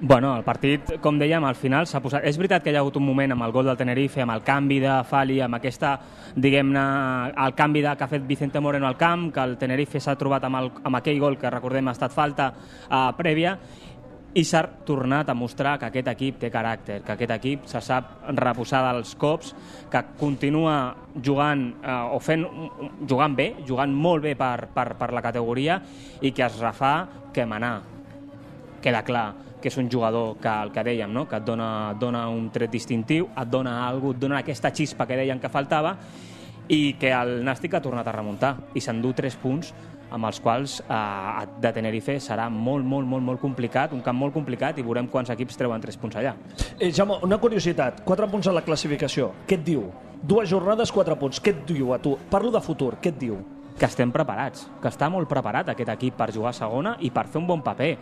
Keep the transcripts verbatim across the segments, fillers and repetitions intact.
Bueno, el partit, com dèiem, al final s'ha posat... És veritat que hi ha hagut un moment amb el gol del Tenerife, amb el canvi de Fali, amb aquesta, diguem-ne, el canvi de, que ha fet Vicente Moreno al camp, que el Tenerife s'ha trobat amb, el, amb aquell gol que recordem ha estat falta eh, prèvia, i s'ha tornat a mostrar que aquest equip té caràcter, que aquest equip se sap reposar dels cops, que continua jugant eh, o fent, jugant bé, jugant molt bé per, per, per la categoria, i que es refà que manar. Queda clar que és un jugador que, el que dèiem, no? Que et dona, dona un tret distintiu, et dona alguna cosa, et dona aquesta xispa que deien que faltava, i que el Nàstic ha tornat a remuntar i s'endú tres punts amb els quals eh, de Tenerife serà molt, molt, molt, molt complicat, un camp molt complicat, i veurem quants equips treuen tres punts allà. Eh, Jaume, una curiositat, quatre punts a la classificació, què et diu? Dues jornades, quatre punts, què et diu a tu? Parlo de futur, què et diu? Que estem preparats, que està molt preparat aquest equip per jugar a segona i per fer un bon paper.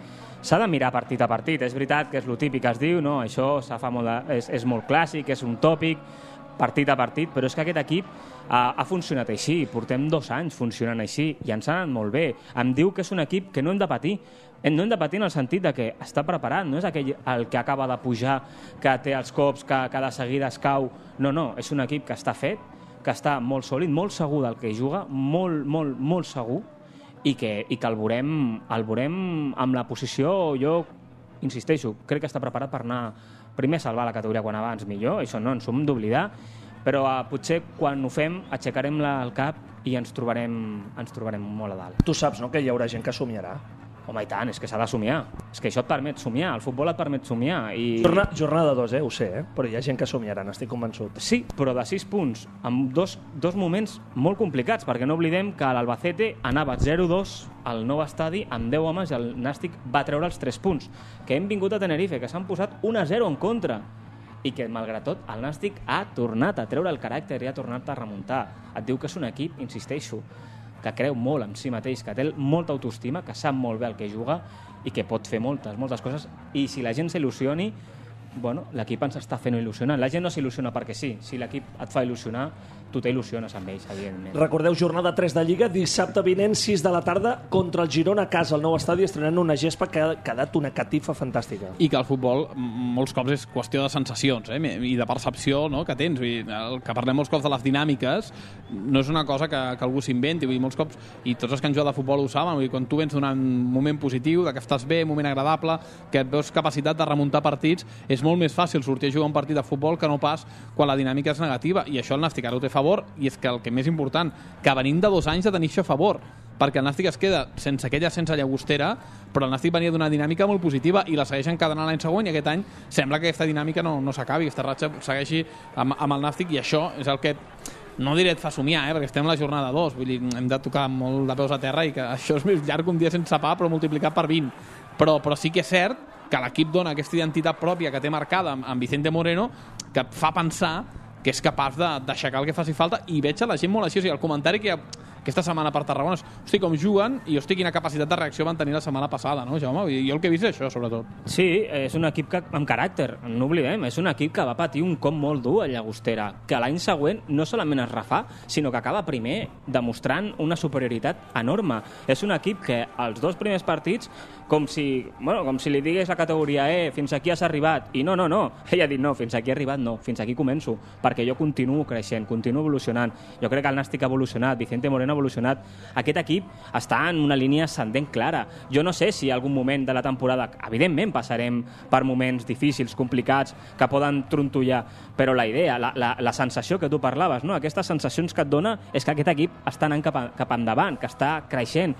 S'ha de mirar partit a partit, és veritat que és el típic que es diu, no? Això fa molt de, és, és molt clàssic, és un tòpic, partit a partit, però és que aquest equip ha, ha funcionat així, portem dos anys funcionant així i ens ha anat molt bé. Em diu que és un equip que no hem de patir, no hem de patir en el sentit de que està preparat, no és aquell el que acaba de pujar, que té els cops, que, que de seguida es cau, no, no, és un equip que està fet, que està molt sòlid, molt segur del que juga, molt, molt, molt segur, i que, i que el, veurem, el veurem amb la posició, jo insisteixo, crec que està preparat per anar primer a salvar la categoria quan abans millor, això no ens ho hem d'oblidar, però uh, potser quan ho fem aixecarem la, el cap i ens trobarem, ens trobarem molt a dalt. Tu saps, no?, que hi haurà gent que somiarà. Home, i tant, és que s'ha de somiar. És que això et permet somiar, el futbol et permet somiar. I... Jornada, jornada dos, eh? Ho sé, eh? Però hi ha gent que somiarà, n'estic convençut. Sí, però de sis punts, amb dos, dos moments molt complicats, perquè no oblidem que l'Albacete anava zero dos al nou estadi amb deu homes i el Nàstic va treure els tres punts. Que hem vingut a Tenerife, que s'han posat un a zero en contra, i que, malgrat tot, el Nàstic ha tornat a treure el caràcter i ha tornat a remuntar. Et diu que és un equip, insisteixo, que creu molt en si mateix, que té molta autoestima, que sap molt bé el que juga i que pot fer moltes, moltes coses. I si la gent s'il·lusioni, bueno, l'equip ens està fent il·lusionar. La gent no s'il·lusiona perquè sí. Si l'equip et fa il·lusionar, tu t'il·lusiones amb ells, evidentment. Recordeu, jornada tres de Lliga, dissabte vinent, sis de la tarda, contra el Girona a casa, al nou estadi, estrenant una gespa que ha quedat una catifa fantàstica. I que el futbol, molts cops, és qüestió de sensacions, eh? I de percepció, no?, que tens. Vull dir, el que parlem molts cops de les dinàmiques no és una cosa que, que algú s'inventi. Vull dir, molts cops, i tots els que han jugat de futbol ho saben, vull dir, quan tu vens d'un moment positiu, de que estàs bé, un moment agradable, que et veus capacitat de remuntar partits, és molt més fàcil sortir a jugar un partit de futbol que no pas quan la dinàmica és negativa. I això el Nàstic ara ho té a favor, i és que el que més important, que venim de dos anys de tenir això a favor, perquè el Nàstic es queda sense aquella sense llagostera, però el Nàstic venia d'una dinàmica molt positiva i la segueix encadenant l'any següent, i aquest any sembla que aquesta dinàmica no, no s'acabi, aquesta ratxa segueixi amb, amb el Nàstic, i això és el que no diré et fa somiar, eh, perquè estem a la jornada dos, vull dir, hem de tocar molt de peus a terra i que això és més llarg que un dia sense pa, però multiplicat per vint, però, però sí que és cert que l'equip dona aquesta identitat pròpia que té marcada amb, amb Vicente Moreno, que et fa pensar que és capaç d'aixecar el que faci falta, i veig a la gent molt així. O sigui, el comentari que hi ha aquesta setmana per Tarragona és, hosti, com juguen, i hosti, quina capacitat de reacció van tenir la setmana passada, no, Jaume? Jo el que he vist és això, sobretot. Sí, és un equip que, amb caràcter, no oblidem, és un equip que va patir un cop molt dur a Llagostera, que l'any següent no solament es refà, sinó que acaba primer demostrant una superioritat enorme. És un equip que els dos primers partits, com si, bueno, com si li digués la categoria E, fins aquí has arribat, i no, no, no, ell ha dit no, fins aquí he arribat no, fins aquí començo, perquè jo continuo creixent, continuo evolucionant. Jo crec que el Nàstic ha evolucionat, Vicente Moreno ha evolucionat. Aquest equip està en una línia ascendent clara. Jo no sé si algun moment de la temporada, evidentment passarem per moments difícils, complicats, que poden trontollar, però la idea, la, la, la sensació que tu parlaves, no? Aquestes sensacions que et dona és que aquest equip està anant cap, a, cap endavant, que està creixent.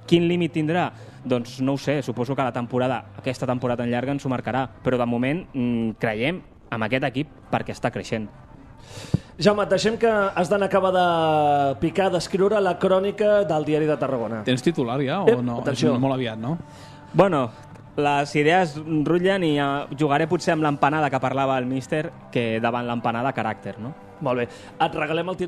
Quin límit tindrà? Doncs no ho sé, suposo que la temporada, aquesta temporada tan llarga ens ho marcarà, però de moment mmm, creiem en aquest equip perquè està creixent. Jaume, et deixem que has d'anar a acabar de picar, d'escriure la crònica del Diari de Tarragona. Tens titular ja o Ep, no? atenció. És molt aviat, no? Bueno, les idees rutllen i jugaré potser amb l'empanada que parlava el míster, que davant l'empanada caràcter, no? Molt bé. Et regalem el